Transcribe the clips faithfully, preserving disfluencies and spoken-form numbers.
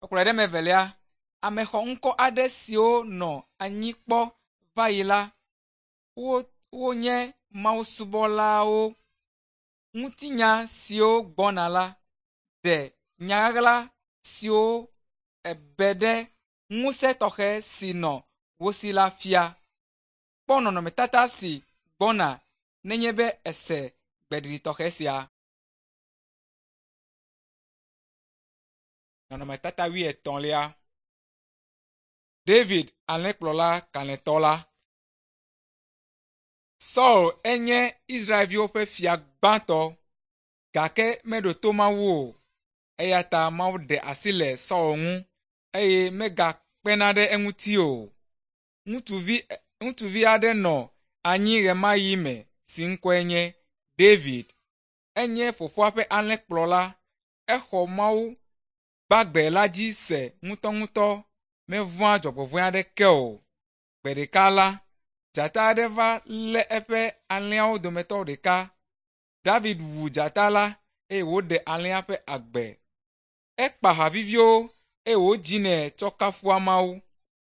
Ekplɔe ɖe eme evelia, ame xɔŋkɔ aɖe siwo nɔ anyi kpɔ va yi la, wo wonye mawusubɔlawo. Ŋutinya siwo gbɔna la ɖe nya ɣaɣla siwo ebe ɖe ŋusẽ tɔxɛ si nɔ wo si la fia. Kpɔ nɔnɔmetata si gbɔna nenye be èse gbeɖiɖi tɔxɛ sia. Nɔnɔmetata wuietɔ̃lia. David alẽkplɔla kalẽtɔ la. Saul enye Israelviwo ƒe fia gbãtɔ gake meɖo to Mawu o eya ta Mawu ɖe asi le Saul ŋu eye megakpena ɖe eŋuti o. Ŋutsuvi ŋutsuvi aɖe nɔ anyi ɣemaɣi me si ŋkɔe nye David. Enye fofoa ƒe alẽkplɔla. Exɔ Mawu gbagbe la dzi se ŋutɔŋutɔ mevɔ̃a dzɔgbevɔ̃e aɖeke o. Gbe ɖeka la, dzata aɖe va lé eƒe alẽawo dometɔ ɖeka. David wu dzata la eye wòɖe alẽa ƒe agbe. Ekpa ha viviwo eye wòdzinɛ tsɔ kafua Mawu.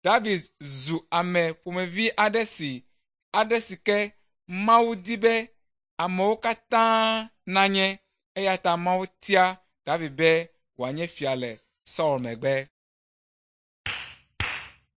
David zu ame ƒomevi aɖe si aɖe si ke Mawu di be amewo katã nanye eya ta Mawu tia David be wòanye fia le Saul megbe.